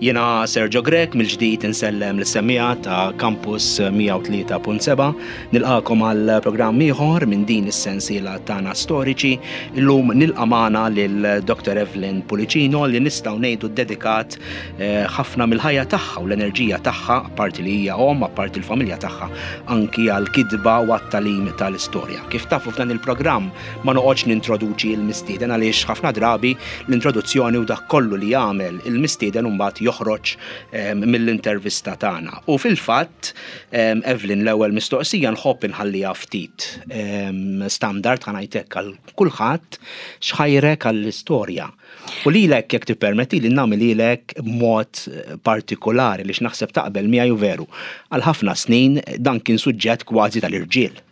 Jiena Sergio Grech mill-ġdid insellem lis-semmiegħa ta' Campus 103.7 nilqakom għal programm ieħor minn din is-sensiela tagħna storiċi. Illum nilqa' magħna lil Dr. Evelyn Pulicino li nistgħu ngħidu ddedikat eh, ħafna mill-ħajja tagħha u l-enerġija tagħha, apparti li hija omm, apparti l-familja tagħha, anki għal kitba u għat-tagħlim tal-istorja. Kif tafu f'dan il-programm Ma noqgħodx nintroduċi l-mistieden għaliex ħafna drabi l-introduzzjoni u dak kollu li jagħmel il-mistieden imbagħad joħroġ ehm, mill-intervista tagħna. U fil-fatt, ehm, Evelyn l-ewwel mistoqsija nħobb inħalliha ftit ehm, standard ħa ngħid għal kulħadd x'ħajrek għall-istorja. U lilek jekk tippermettili nagħmilhielek b'mod partikolari li x'naħseb taqbel miegħi u veru. Għal ħafna snin dan kien suġġett kważi tal-irġiel.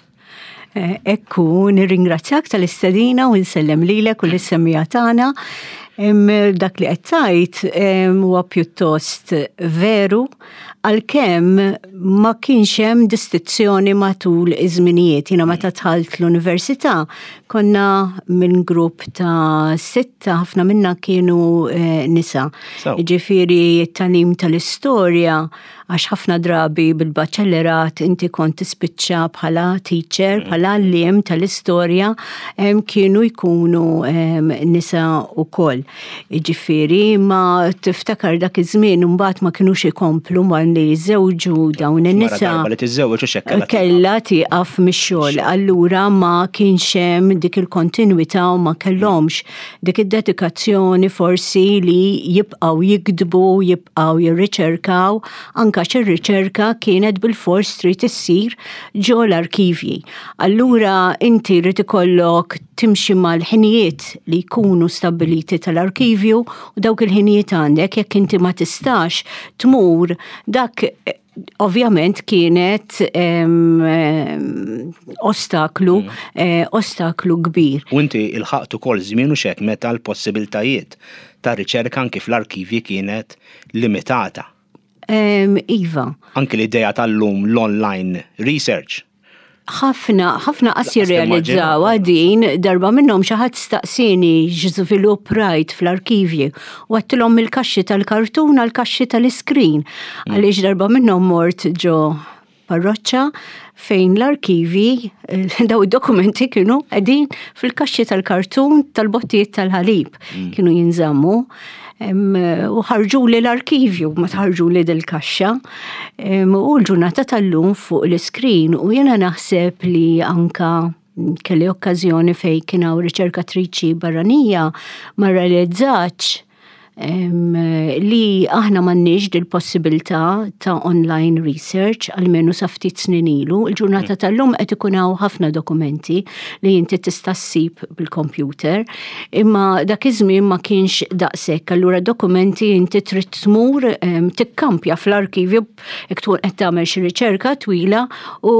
Eh, ekku, nirringrazzjak tal-istedina u nsellem lilek u l-semmija tagħna. Dak li qed tgħid huwa pjuttost veru għalkemm ma kienx hemm distinzjoni matul iż-żminijiet. Jiena meta dħalt l-università konna minn grupp ta' sitta ħafna minna kienu eh, nisa. Ġifieri t-tagħlim tal-istorja għax ħafna drabi bil-baċellerat inti kont tispiċċa bħala teacher, mm. bħala għalliem tal-istorja kienu jkunu nisa wkoll. Jiġifieri ma tiftakar dak iż-żmien imbagħad ma kinux ikomplu ma li jiżżewġu dawn in-nisa. Li tiżżewġ u xekkella. Kella tieqaf mix-xogħol. Allura ma kienx hemm dik il-kontinwità u ma kellhomx dik id-dedikazzjoni forsi li jibqgħu jiktbu, jibqgħu jirriċerkaw, anke għax ir-riċerka kienet bilfors trid issir ġo l-arkivji. Allura inti jrid ikollok timxi mal-ħinijiet li jkunu stabbiliti tal-arkivju u dawk il-ħinijiet għandek jekk inti ma tistax tmur dak ovvjament kienet ostaklu, mm. eh, ostaklu kbir. U inti il-ħaqt ukoll żmien u xek meta l-possibiltajiet ta' riċerka anki fl-arkivji kienet limitata. Iva. Anki l-idea tal-lum l-online research ħafna, ħafna qas jirrealizzawha din, darba minnhom xi ħadd staqsieni x'żvilupp rajt fl-arkivji u għedtilhom mill-kaxxi tal-kartun għal kaxxi tal-iskrin. Mm. Għaliex darba minnhom mort ġo parroċċa fejn l-arkivi, eh, daw id-dokumenti kienu qegħdin fil-kaxxi tal-kartun tal-bottijiet tal-ħalib mm. kienu jinżammu u ħarġu li l-arkivju, ma tħarġu li dil-kaxxa. U l-ġurnata tal-lum fuq l-iskrin u jena naħseb li anka kelli okkażjoni fej kien hawn riċerkatriċi barranija ma realizzax li aħna m'għandniex dil-possibilità ta' online research almenu sa ftit snin ilu. Il-ġurnata mm. tal-lum qed ikun hawn ħafna dokumenti li inti tista' ssib bil-computer, imma dak iż-żmien ma kienx daqshekk. Allura dokumenti inti trid tmur tikkampja fl-arkivju jekk tkun qed tagħmel xi riċerka twila u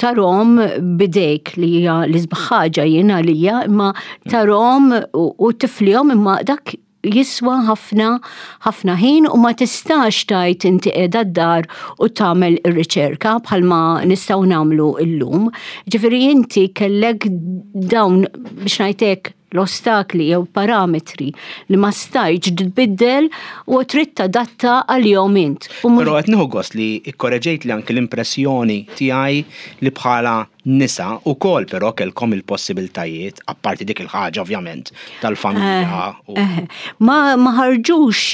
tarhom bidejk li hija l-isbaħ ħaġa jien għalija, imma tarhom u tiflihom imma dak jiswa ħafna ħafna ħin u ma tistax tajt inti qiegħda d-dar u tagħmel ir-riċerka bħalma nistgħu nagħmlu llum. Ġifieri inti kellek dawn biex ngħidlek l-ostakli jew parametri li ma stajtx tbiddel u trid tadatta għalihom int. Però qed nieħu gost li kkoreġejt li anki l-impressjoni tiegħi li bħala nisa ukoll però kellkom il-possibiltajiet, apparti dik il-ħaġa ovvjament tal-familja. Eh, eh. Ma ħarġux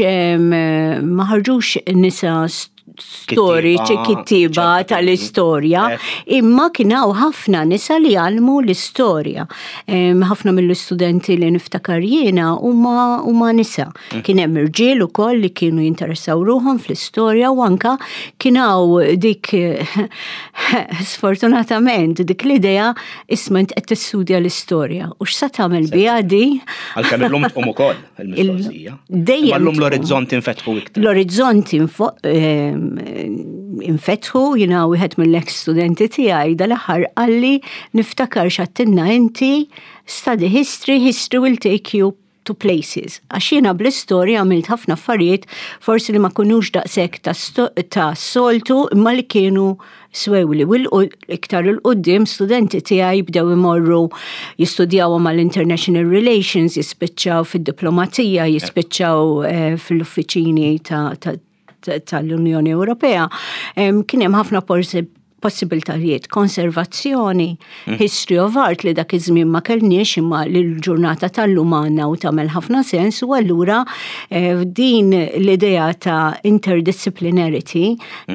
ma ħarġux nisa storiċi kittiba tal-istorja, eh. imma kien hawn ħafna nisa li għalmu l-istorja. Ħafna mill-istudenti li niftakar jiena huma nisa. Mm. Kien hemm irġiel ukoll li kienu jinteressaw ruħhom fl-istorja u anka kien hawn dik sfortunatament dik l-idea isma' int qed tistudja l-istorja u x'sa tagħmel biha di? Għalkemm illum tqum ukoll il-mistoqsija. Dejjem. Illum l-orizzont infetħu iktar. L-orizzont infetħu jiena wieħed mill-ex studenti tiegħi dal-aħħar qalli niftakar x'għedtilna inti study history, history will take you. to places. Għax jiena bl-istorja għamilt ħafna affarijiet forsi li ma kunux daqshekk ta' soltu imma li kienu swewli. U iktar il-qoddim studenti tiegħi bdew imorru jistudjaw mal-International Relations, jispiċċaw fid-diplomazija, jispiċċaw eh, fil-uffiċini tal-Unjoni Ewropea. Kien hemm ħafna possibiltajiet, konservazzjoni, history of art li dak iż-żmien ma kellniex imma li l-ġurnata tal-lum għandna u tagħmel ħafna sens u allura eh, din l-idea ta' interdisciplinarity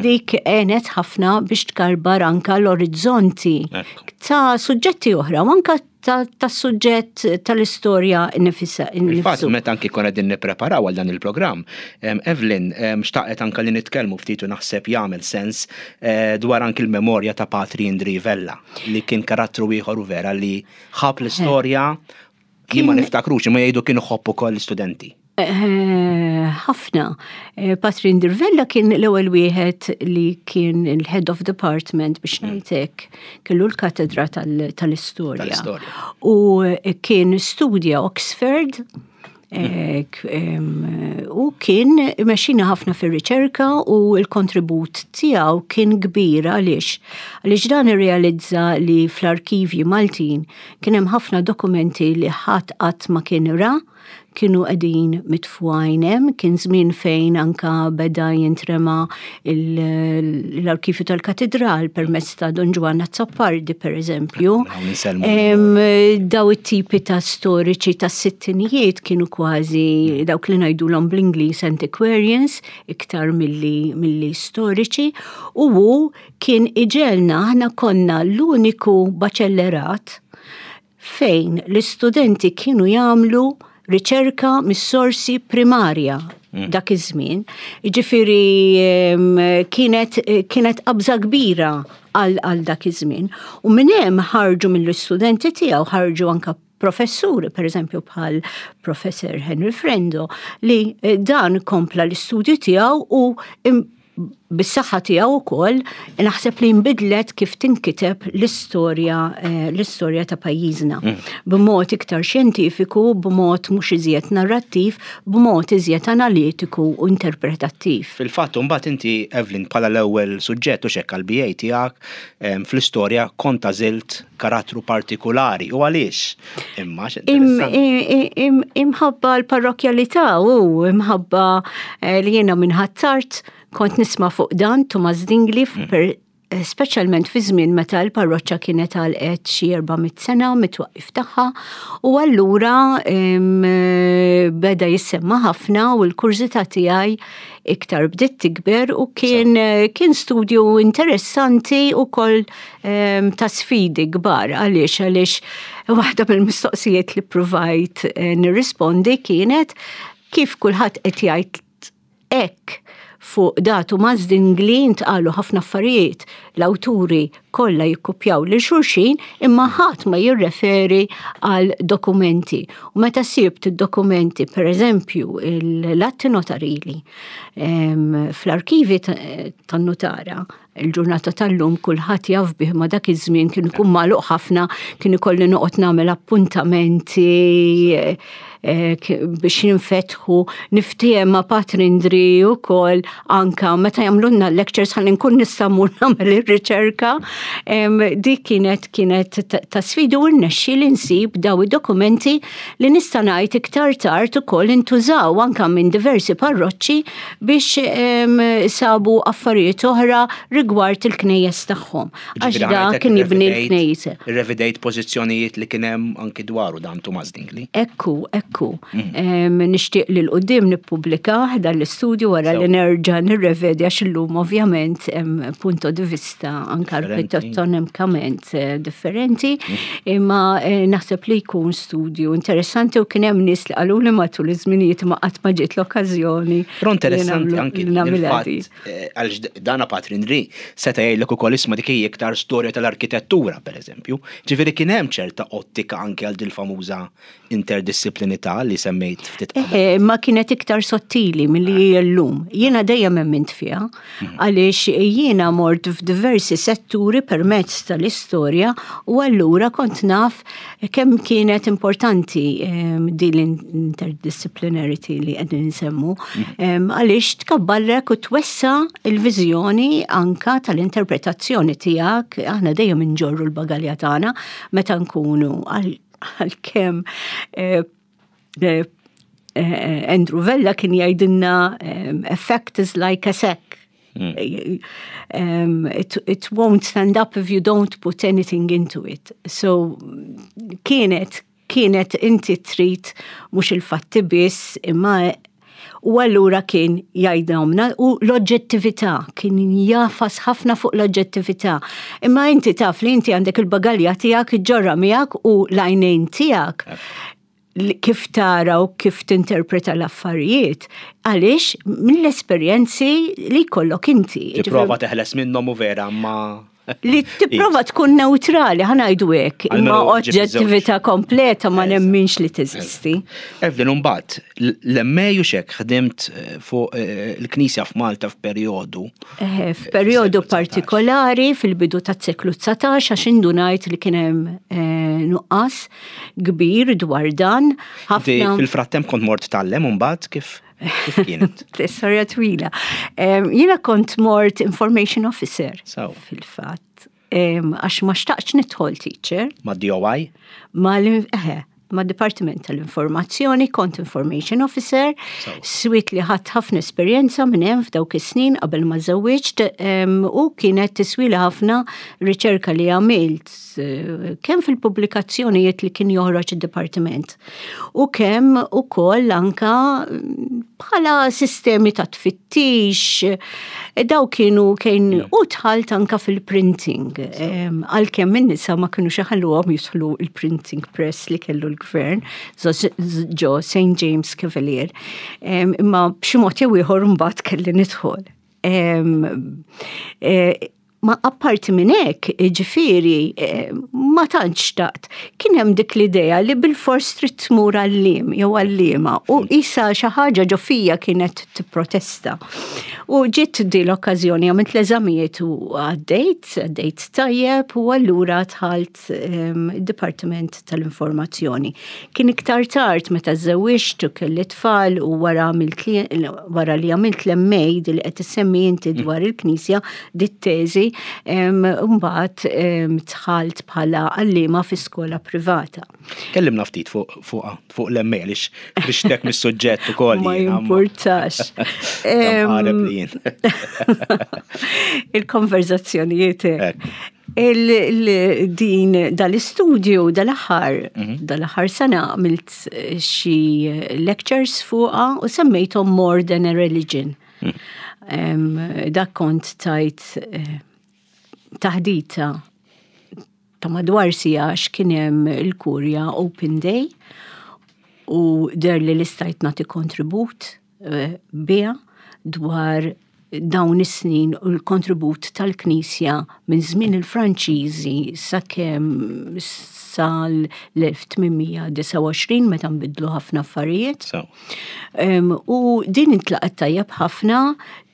dik għenet ħafna biex tkarbar anka l-orizzonti ta' suġġetti oħra u anka ta' suġġett tal-istorja nifisa. Il-fatt meta anki konna din nippreparaw għal dan il-programm, Evelyn xtaqet anka li nitkellmu ftit u naħseb jagħmel sens eh, dwar anki l-memorja ta' Patri Indri Vella li kien karattru ieħor u vera li ħab l-istorja li ma niftakrux imma jgħidu kien iħobb ukoll l-istudenti. Eh, ħafna. Eh, Patri Ndirvella kien l-ewwel wieħed li kien il-head of department biex hmm. ngħidlek kellu l-katedra tal-istorja. U eh, kien studja Oxford hmm. u kien mexxina ħafna fir-riċerka u l-kontribut tiegħu kien kbir għaliex għaliex dan irrealizza li fl-arkivji Maltin kien hemm ħafna dokumenti li ħadd qatt ma kien ra kienu qegħdin mitfugħin hemm, kien żmien fejn anka beda jintrema l-arkivju tal-katedral permezz ta' Don Ġwann Azzopardi pereżempju. Daw it-tipi ta' storiċi tas-sittinijiet kienu kważi dawk li ngħidulhom bl-Ingliż antiquarians iktar milli milli storiċi u hu kien iġegħelna aħna konna l-uniku baċellerat fejn l-istudenti kienu jagħmlu riċerka mis-sorsi primarja mm. dak iż-żmien. Jiġifieri kienet kienet qabża kbira għal dak iż-żmien. U minn hemm ħarġu mill-istudenti tiegħu ħarġu anka professuri, per eżempju bħal professor Henry Frendo, li eh, dan kompla l-istudju tiegħu u bis-saħħa tiegħu wkoll naħseb li nbidlet kif tinkiteb l-istorja eh, l-istorja ta' pajjiżna. Mm. B'mod iktar xjentifiku, b'mod mhux iżjed narrattiv, b'mod iżjed analitiku u interpretattiv. Fil-fatt imbagħad inti Evelyn bħala l-ewwel suġġett u xekk għall-BA tiegħek fl-istorja kont għażilt karattru partikulari u għaliex? Imma Imħabba l-parrokjalità u imħabba eh, li jiena minn Ħ'Attard kont nisma' fuq dan Tumas Dingli mm. eh, speċjalment fi żmien meta l-parroċċa kienet għalqet xi 400 sena mit-twaqqif tagħha u allura eh, beda jissemma ħafna u l-kurżità tiegħi iktar bdiet tikber u kien kien studju interessanti u koll ehm, ta' sfidi kbar għaliex għaliex waħda mill-mistoqsijiet li provajt eh, nirrispondi kienet kif kulħadd qed jgħid hekk fuq datu mażdingli ntqalu ħafna affarijiet l-awturi kollha jikkupjaw lil xulxin imma ħadd ma jirreferi għal dokumenti. U meta sibt id-dokumenti, per eżempju, l-atti notarili ehm, fl-arkivi tan-nutara, il-ġurnata tal-lum kulħadd jaf bih ma dak iż-żmien kien ikun magħluq ħafna, kien ikolli noqgħod nagħmel appuntamenti eh, biex jinfetħu, niftiehem ma' Patrindri wkoll anka meta jagħmlulna lectures ħalli nkun nista' mmur nagħmel ir-riċerka. Dik kienet kienet ta' sfida u rnexxi li nsib daw id-dokumenti li nista' ngħid iktar tard ukoll intużaw anka minn diversi parroċċi biex sabu affarijiet oħra rigward il-knejjes tagħhom. Għax da kien jibni l-knejse. Revidejt pożizzjonijiet li kien hemm anki dwaru dan Tumas Dingli. Ekku, ekku. Mm. Nixtieq li l-qudiem nippubblika dan l-istudju wara li nerġa' nirrevedi għax illum ovvjament hemm punto di vista anke arkitettonikament eh, differenti, mm. imma eh, naħseb li jkun studju interessanti u kien hemm nies li qaluli matul iż-żminijiet ma qatt ma ġiet l-okkażjoni. Però interessanti anki il-fatt eh, għaliex dana Patri Ndri. seta' jgħidlek ukoll isma' dik hija iktar storja tal-arkitettura, pereżempju. Ġifieri kien hemm ċerta ottika anke għal dil-famuża interdixxiplinità li semmejt ftit qabel. Eħe, ma kienet iktar sottili milli hi llum. Jiena dejjem emmint fiha, għaliex jiena mort f'diversi setturi permezz tal-istorja u allura kont naf kemm kienet importanti din l-interdisciplinarity li qegħdin nsemmu, għaliex tkabbarlek u twessa' l-viżjoni anka tal-interpretazzjoni tiegħek. Aħna dejjem inġorru l-bagalja tagħna meta nkunu għalkemm eh, eh, eh, Andrew Vella kien jgħidilna effect is like a sack. It won't stand up if you don't put anything into it. So kienet kienet inti trid mhux il-fatti biss imma u allura kien jgħidhomna u l-oġġettività, kien jafas ħafna fuq l-oġġettività. Imma inti taf li inti għandek il-bagalja tiegħek iġġorra miegħek u l-għajnejn tiegħek kif tara u kif tinterpreta l-affarijiet, għaliex mill-esperjenzi li jkollok inti. Tipprova teħles minnhom u vera ma Li tipprova tkun neutrali, ħanajdu hekk, imma oġġettività kompleta ma nemminx li teżisti. Evelyn, mbagħad l-MA u xek ħdimt eh, fuq eh, il-Knisja f'Malta f'perjodu. Eh, f'perjodu partikolari fil-bidu tas-seklu 19 għax indunajt li kien hemm nuqqas kbir dwar dan. Fil-frattemp kont mort tgħallem mbagħad kif? Kif kienet? Storja twila. Jiena kont mort information officer. Fil-fatt. Għax ma xtaqx nidħol teacher. Ma DOI? Ma eħe, ma Dipartiment tal-Informazzjoni, kont information officer, swit li ħadd ħafna esperjenza minn hemm f'dawk is-snin qabel ma żewwiġt u kienet tiswili ħafna riċerka li għamilt eh, kemm fil-pubblikazzjonijiet li kien joħroġ id-dipartiment u kemm ukoll anka mm, bħala sistemi ta' tfittix, e daw kienu kien mm. u tħalt anka fil-printing. Għalkemm in-nisa ma kienu xaħalluhom jidħlu il-printing press li kellu l-gvern ġo St. James Cavalier. Imma b'xi mod jew ieħor mbagħad kelli nidħol. E, Ma apparti minn hekk, jiġifieri, eh, ma tantx xtaqt. Kien hemm dik l-idea li bilfors trid tmur għalliem jew għalliema u isa xi ħaġa ġo fija kienet tipprotesta. U ġiet di l-okkażjoni għamilt l-eżamijiet u għaddejt, għaddejt tajjeb u allura dħalt ehm, id-Dipartiment tal-Informazzjoni. Kien iktar tard meta żewwiġt u kelli tfal u wara wara li għamilt l-MA li qed issemmi inti mm. dwar il-Knisja dit-teżi, mbagħad dħalt bħala għalliema fi skola privata. Kellimna ftit fuq fuq l-MA għaliex biex mis-suġġett ukoll. Ma jimpurtax. Il-konverzazzjonijiet. Il-din dal-istudju dal-aħħar, mhm. dal-aħħar sena għamilt xi lectures fuqha u semmejthom More Than a Religion. Dak kont tajt eh, taħdita ta' madwar sija għax kien hemm il-kurja Open Day u der li l-istajt nagħti kontribut eh, biha dwar dawn is-snin u l-kontribut tal-Knisja minn żmien il-Franċiżi sakemm sal-1829 meta nbidlu ħafna affarijiet. U din intlaqat tajjeb ħafna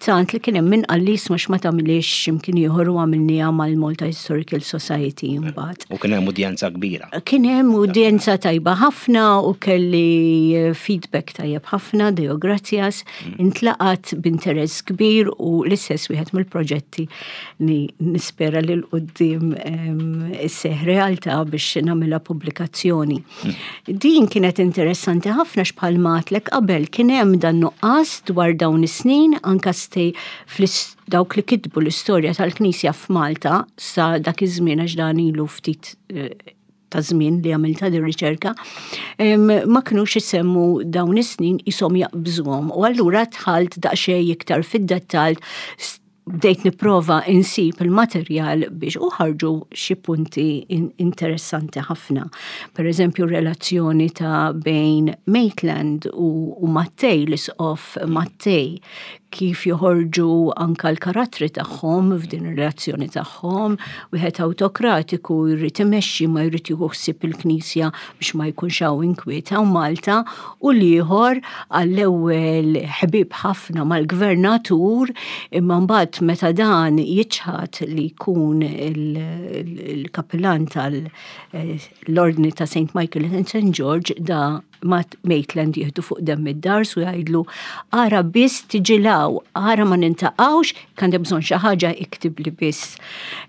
tant li kien hemm min qal li isma' x'ma tagħmilix x'imkien ieħor u għamilniha mal-Malta Historical Society mbagħad. U kien hemm udjenza kbira. Kien hemm udjenza tajba ħafna u kelli feedback tajjeb ħafna, Deo gracias, mm. intlaqat b'interess kbir u l-istess wieħed mill-proġetti li nispera li l-qoddim isseħ realtà biex nagħmilha pubblikazzjoni. Din kienet interessanti ħafna x'bħal matlek qabel kien hemm dan nuqqas dwar dawn is-snin anka stej dawk li kitbu l-istorja tal-Knisja f'Malta sa dak iż-żmien għax dan ilu ftit eh, ta' żmien li għamilta din riċerka, ma kinux isemmu dawn is-snin isom jaqbżuhom. U allura dħalt daqsxejn iktar fid-dettall bdejt nipprova insib il-materjal biex u ħarġu xi punti interessanti ħafna. Per eżempju, relazzjoni ta' bejn Maitland u, u Mattei, l-isqof Mattei, kif joħorġu anka l-karattri tagħhom f'din ir-relazzjoni tagħhom, wieħed awtokratiku jrid imexxi ma jrid jieħu ħsieb il-Knisja biex ma jkunx hawn inkwiet hawn Malta u l-ieħor għall-ewwel ħbieb ħafna mal-gvernatur imma mbagħad meta dan jiċħad li jkun il-kapillan tal-Ordni ta' St. Michael and St. George da Matt Maitland jieħdu fuq demm id-dars u jgħidlu ara biss tiġi law, ara ma nintaqgħux, kan bżonn xi ħaġa iktibli biss.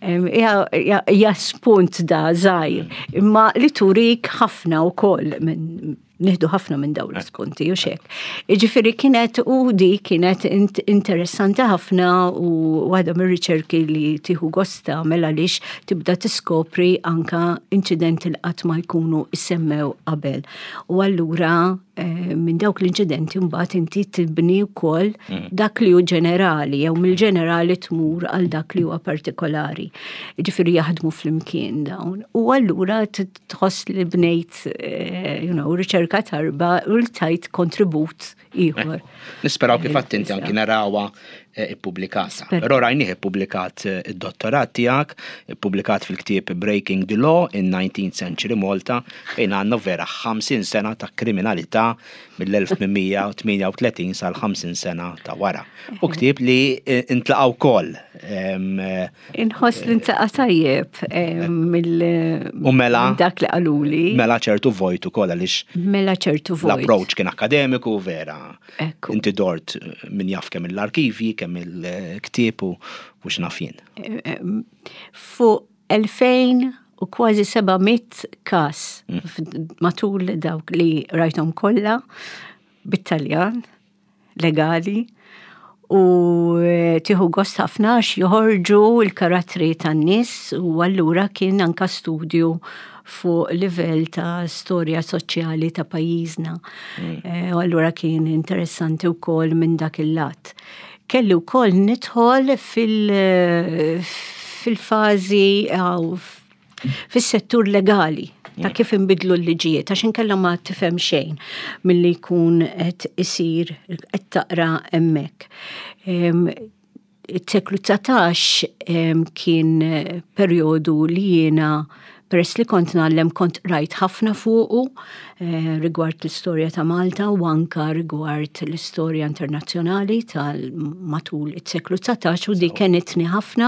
Hija spunt da żgħir, imma li turik ħafna wkoll minn nieħdu ħafna minn dawn l-ispunti u xek. Iġifieri kienet u di kienet interessanti ħafna u waħda mir-riċerki li tieħu gost tagħmel għaliex tibda tiskopri anka inċidenti li qatt ma jkunu issemmew qabel. U allura eh, minn dawk l-inċidenti mbagħad inti tibni wkoll mm. dak li hu ġenerali jew mill-ġenerali tmur għal dak li huwa partikolari. Ġifieri jaħdmu flimkien dawn. U allura tħoss li bnejt eh, you know, riċerka tarba u li tajt kontribut ieħor. Nisperaw kif għadt inti anki narawha eh, ippubblikata. Però rajnih ippubblikat eh, id-dottorat tiegħek, ippubblikat fil-ktieb Breaking the Law in 19th Century Malta, fejn għandna vera 50 sena ta' kriminalità mill-1838 sal-50 sena ta' wara. U ktieb li eh, intlaqa' wkoll. Inħoss li ntlaqa' tajjeb mill U mela dak li qaluli. Mela ċertu vojt ukoll għaliex. Mela ċertu vojt. L-approach kien akademiku vera. Ekku. Inti dort min jaf kemm l-arkivji, kemm il-ktieb u x'naf jien. Fuq 2000 u kważi 700 każ mm. matul dawk li rajthom kollha bit-Taljan legali u eh, tieħu gost ħafna għax joħorġu l-karattri tan-nies u allura kien anka studju fuq livell ta' storja soċjali ta' pajjiżna. Mm. Eh, u allura kien interessanti wkoll minn dak il-lat. Kelli wkoll nidħol fil- fil-fażi fis-settur legali ta' kif inbidlu l-liġijiet, għax inkella ma tifhem xejn milli jkun qed isir qed taqra hemmhekk. It-seklu 19 kien perjodu li jiena peress li kont ngħallem kont rajt ħafna fuqu eh, rigward l-istorja ta' Malta u anka rigward l-istorja internazzjonali tal matul it-seklu 19 u di kenitni ħafna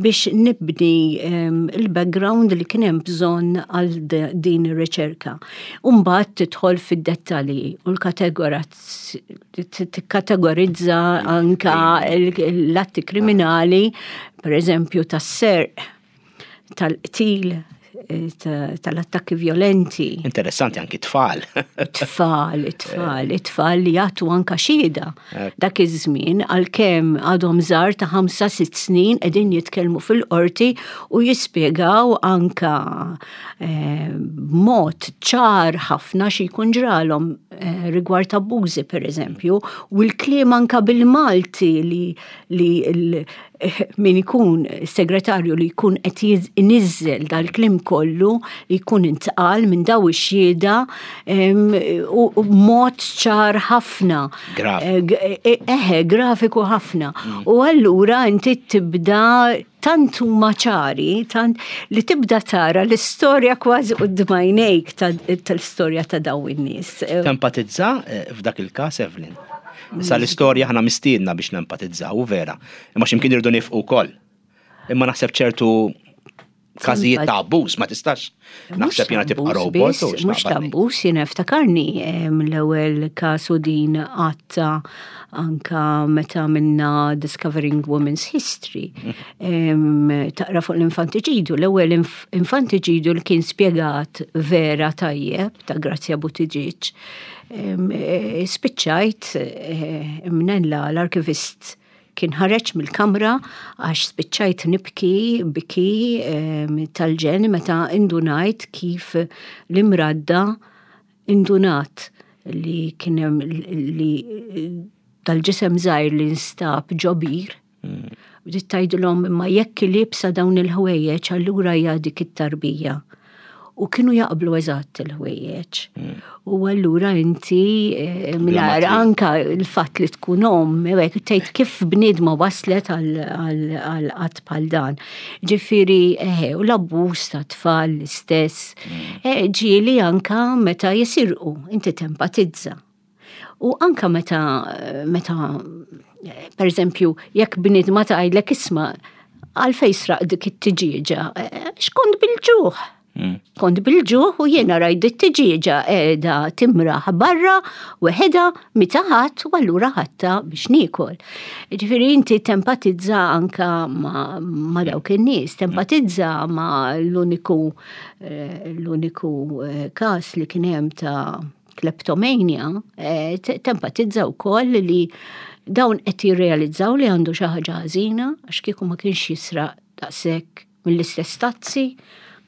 biex nibni ehm, il-background li kien hemm bżonn għal din ir-riċerka. Umbagħad tidħol fid-dettalji u l-kategorizza anka l-atti kriminali, per eżempju tas-serq tal-qtil, eh, tal-attakki violenti. Interessanti anki tfal. Tfal, tfal, tfal li jagħtu anka xhieda. Dak iż-żmien għalkemm għadhom żgħar ta' 5-6 snin qegħdin jitkellmu fil-qorti u jispjegaw anka eh, b'mod ċar ħafna xi jkun ġralhom eh, rigward abbużi pereżempju, u l-kliem anka bil-Malti li li min ikun segretarju li jkun qed iniżżel dal-kliem kollu li jkun intqal minn daw ix-xhieda u mod ċar ħafna. Eh, eh, eħe, grafiku ħafna. Mm. U allura inti tibda tant huma ċari, tant li tibda tara l-istorja kważi quddiem għajnejk tal-istorja ta' daw in-nies. Tempatizza eh, f'dak il-każ Evelyn? Issa l-istorja ħana mistiedna biex nempatizzaw, u vera. Imma x'imkien irridu nifqu wkoll. Imma naħseb ċertu każijiet ta' abbuż ma tistax. Naħseb jiena tibqa' robot. Mhux ta' abbuż, jiena ftakarni l-ewwel każ u din għatta anka meta minna Discovering Women's History. Mm. Taqra fuq l-infantiċidu, l-ewwel infantiċidu li kien spjegat vera tajjeb ta' Grazia Buttigieg Eh, spiċċajt eh, imnella l-arkivist kien ħareġ mill-kamra għax spiċċajt nibki biki tal-ġen meta indunajt kif l-imradda indunat li kien hemm li tal-ġisem żgħir li nstab ġobir. Mm. Bdiet tgħidilhom imma jekk liebsa dawn il-ħwejjeġ allura hija dik it-tarbija. U kienu jaqblu eżatt il-ħwejjeġ. U allura inti eh, mingħajr anka l-fatt li tkun omm, hekk tgħid kif bniedma waslet għal qatt bħal dan. Ġifieri eħe, u l-abbuż ta' tfal l-istess. Eh, ġieli anka meta jisirqu, inti tempatizza. U anka meta, meta per eżempju, jekk bniedma tgħidlek isma' għalfejn sraq dik it-tiġieġa, eh, x'kont bil-ġuħ. Kont bil-ġuħ u jiena rajt dit tiġieġa qiegħda timraħ barra weħedha meta ħadd u allura ħadtha biex niekol. Ġifieri inti tempatizza anka ma, ma dawk in-nies, tempatizza ma l-uniku eh, l-uniku eh, każ li kien hemm ta' kleptomania, eh, tempatizza wkoll li dawn qed jirrealizzaw li għandu xi ħaġa ħażina għax kieku ma kienx jisraq daqshekk mill-istess tazzi,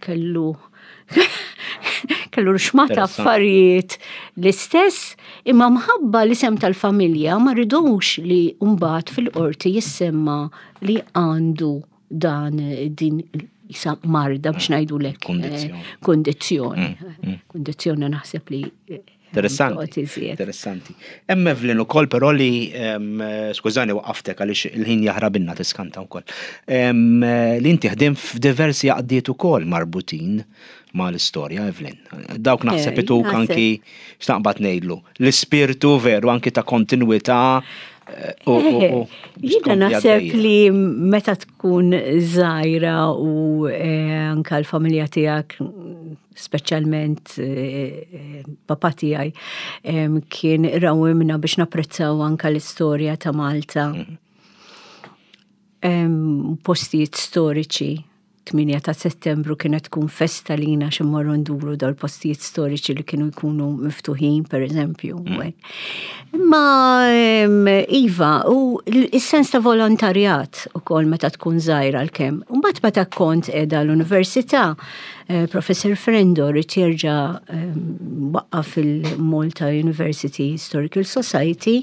kellu kellu xmata affarijiet l-istess, imma mħabba l-isem tal-familja ma ridux li mbagħad fil-qorti jissemma li għandu dan din jisa marda biex ngħidu lek. Kondizzjoni. Kondizzjoni naħseb li eh, Interessanti. Interessanti. Hemm Evelyn ukoll però li skużani waqaftek għaliex il-ħin jaħrabinna tiskanta wkoll. Li inti ħdim f'diversi għaqdiet ukoll marbutin mal-istorja, Evelyn. Dawk naħseb eh, ituk anki x'taqbad ngħidlu. L-ispirtu veru anki ta' kontinwità eh, eh, Jiena naħseb li meta tkun żgħira u anka l-familja tiegħek speċjalment eh, papa tiegħi kien rawimna biex napprezzaw anka l-istorja ta' Malta. Mhm. Postijiet storiċi 8 ta' settembru kienet tkun festa lina x'immorru nduru dawl postijiet storiċi li kienu jkunu miftuħin, per eżempju. Imma Iva, u s-sens ta' volontarjat u kol meta tkun żgħira l-kem. Mbagħad meta kont qiegħda l-università, Eh, Professor Frendo rrid jerġa' ehm, waqqaf il-Malta University Historical Society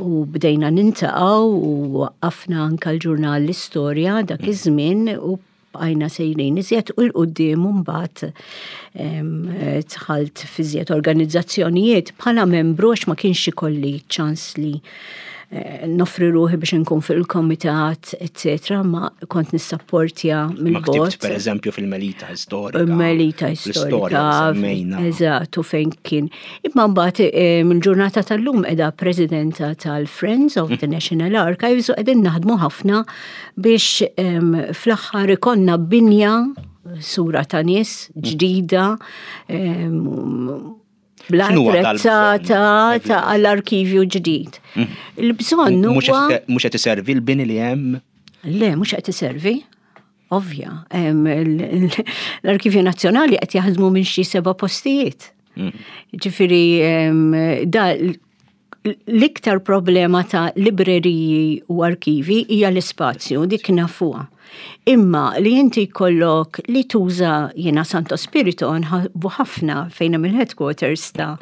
u bdejna nintaqgħu u waqqafna anka l-ġurnal l-istorja dak iż-żmien u bqajna sejrin iżjed u l-qudiem mbagħad ehm, dħalt f'iżjed organizzazzjonijiet bħala membru għax ma kienx ikolli ċans li Eh, noffri ruħi biex nkun fil-komitat, etc. Ma kont nissapportja mill-bot. Per eżempju fil-Melita Storika. Melita Storika. Eżatt, u fejn kien. Imma mbagħad eh, mill-ġurnata tal-lum qiegħda presidenta tal-Friends of the National Archives u qegħdin naħdmu ħafna biex fl-aħħar ikollna binja sura ta' nies ġdida bla attrezzata ta' għall-arkivju ġdid. Mm. Il-bżonn huwa. Mhux qed iservi l-bini li hemm? Le, mhux qed iservi. Ovvja, l-Arkivju Nazzjonali qed jaħdmu minn xi seba' postijiet. Mm. Ġifieri da L-iktar problema ta' libreriji u arkivi hija l-ispazju, dik nafuha. Imma li inti jkollok li tuża jiena Santo Spirito nħabbu ħafna fejn hemm il-headquarters ta'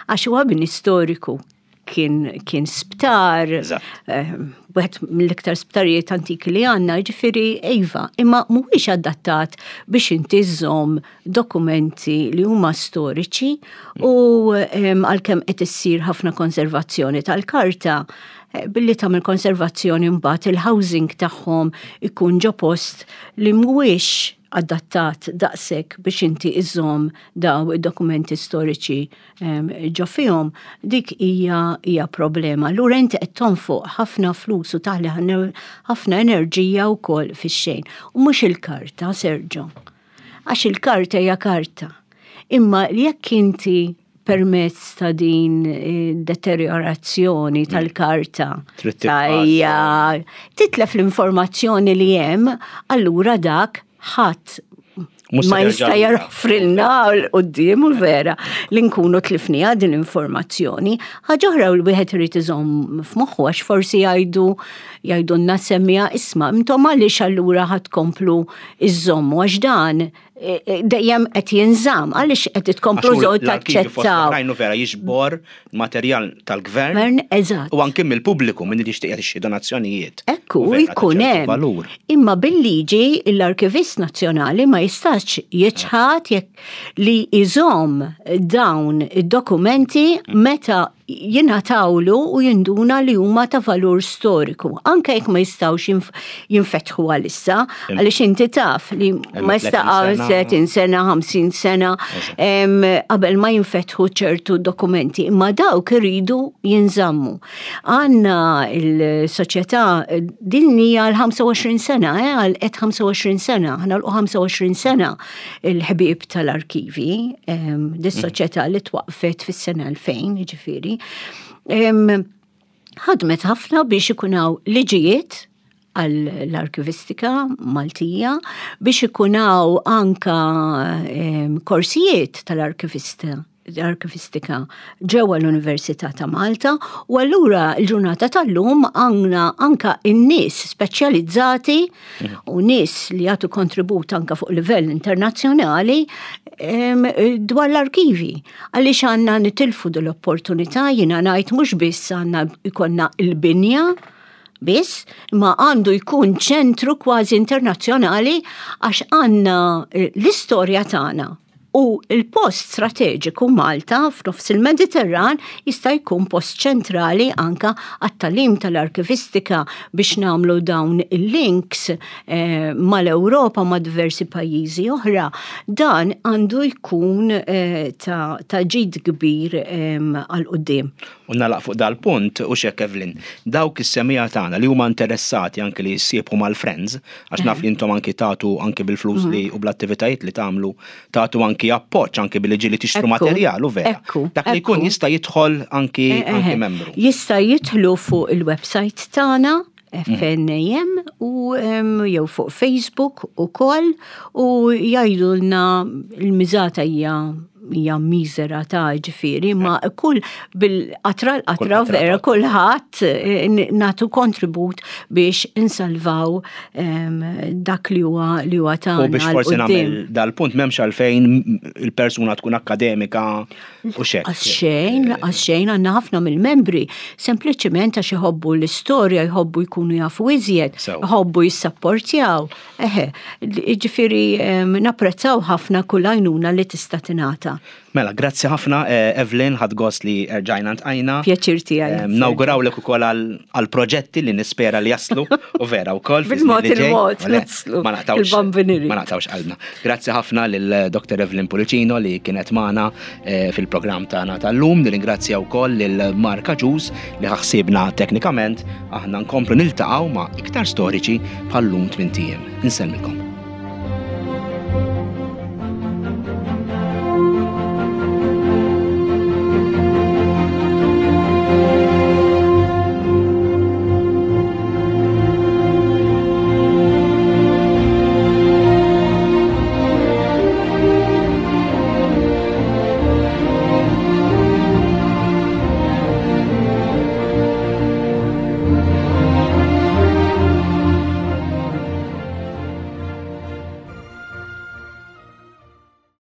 għax huwa bini storiku kien, kien sptar, eh, wieħed mill-iktar sptarijiet antiki li għandna, ġifieri iva, imma mhuwiex adattat biex inti żżomm dokumenti li huma storiċi u għalkemm qed issir ħafna konservazzjoni tal-karta, eh, billi tagħmel konservazzjoni mbagħad il-housing tagħhom ikun ġo post li mhuwiex adattat daqshekk biex inti iżżomm daw id-dokumenti storiċi ġo fihom, dik hija hija problema. Allura inti qed tonfoq ħafna flus u taħli ħafna enerġija wkoll fix-xejn. U mhux il-karta, Sergio. Għax il-karta hija karta. Imma jekk inti permezz ta' din eh, deteriorazzjoni mm. tal-karta tajja titlef l-informazzjoni li hemm, allura dak ħadd ma jista' jaroffrilna l-qoddim u vera li nkunu tlifniha din l-informazzjoni. Ħaġa oħra l wieħed irid iżomm f'moħħu għax forsi jgħidu jgħidulna semmija isma' intom għaliex allura ħadd komplu iżommu għax dan e, e, dejjem qed jinżamm għaliex qed tkomplu żgħod taċċettaw. Rajnu vera jiġbor materjal tal-gvern. Gvern, eżatt. U anke mill-pubbliku minn li jixtieq jagħti donazzjonijiet. Ekku, jkun hemm. Imma bil-liġi l-Arkivist Nazzjonali ma jistax jiċħad jekk li jżomm dawn id-dokumenti meta jingħatawlu u jinduna li huma ta' valur storiku, anke jekk ma jistgħux jinfetħu għalissa, għaliex inti taf li ma jistaqgħu 30 sena, 50 sena qabel ma jinfetħu ċertu dokumenti, imma dawk iridu jinżammu. Għandna il-soċjetà din hija l-25 sena, eh, għal qed 25 sena, aħna l 25 sena il-ħbieb tal-arkivi, dis-soċjetà li twaqfet fis-sena 2000, ġifieri. Ħadmet ħafna biex ikun hawn liġijiet għall-arkivistika Maltija biex ikun hawn anka korsijiet tal-arkivista l-arkivistika ġewwa l-Università ta' Malta u allura l-ġurnata tal-lum għandna anka in-nies speċjalizzati u nies li jagħtu kontribut anka fuq livell internazzjonali dwar l-arkivi. Għaliex għandna nitilfu dil-opportunità jiena ngħid mhux biss għandna jkollna l-binja biss, ma għandu jkun ċentru kważi internazzjonali għax għandna eh, l-istorja tagħna U l-post strateġiku Malta f'nofs il-Mediterran jista' jkun post ċentrali anka għat-tagħlim tal-arkivistika biex nagħmlu dawn il-links eh, mal-Ewropa ma' diversi pajjiżi oħra. Dan għandu jkun eh, ta', ta ġid kbir eh, għal quddiem. U nagħlaq fuq dal-punt, u x'hekk Evelyn, dawk is-semmiegħa tagħna li huma interessati anki li jissiebħu mal-Friends, għax naf li intom anki tagħtu anki bil-flus li u bl-attivitajiet li tagħmlu, tagħtu anki appoġġ anki billi ġieli tixtru materjal u vera. Dak li jkun jista' jidħol anki anki membru. Jista' jidħlu fuq il-website tagħna FNAM u jew fuq Facebook ukoll u jgħidulna l-miżata hija hija miżera ta' ġifieri, ma kull bil-qatra l-qatra vera kulħadd eh, nagħtu kontribut biex insalvaw dak li huwa li huwa tagħna. U biex forsi nagħmel dal-punt m'hemmx għalfejn il-persuna tkun akademika U xek. Għas xejn, għas xejn għandna ħafna mill-membri, sempliċement għax iħobbu l-istorja, jħobbu jkunu jafu iżjed, jħobbu jissapportjaw. Eħe, ġifieri napprezzaw ħafna kull għajnuna li tista' tingħata. Mela, grazzi ħafna eh, Evelyn, ħadd gost li rġajna ntqajna. Pjaċir tiegħi. Nawgurawlek ukoll għal proġetti li nispera li jaslu u vera wkoll. Bil-mod il-mod naslu. Ma naqtawx. Ma naqtawx qalbna. Grazzi ħafna lil Dr. Evelyn Pulicino li kienet magħna eh, fil-programm tagħna tal-lum. Nirringrazzja wkoll lil Mark Aġus li ħaħsibna teknikament. Aħna nkomplu niltaqgħu ma' iktar storiċi bħal-lum tmintijiem. Insellmilkom.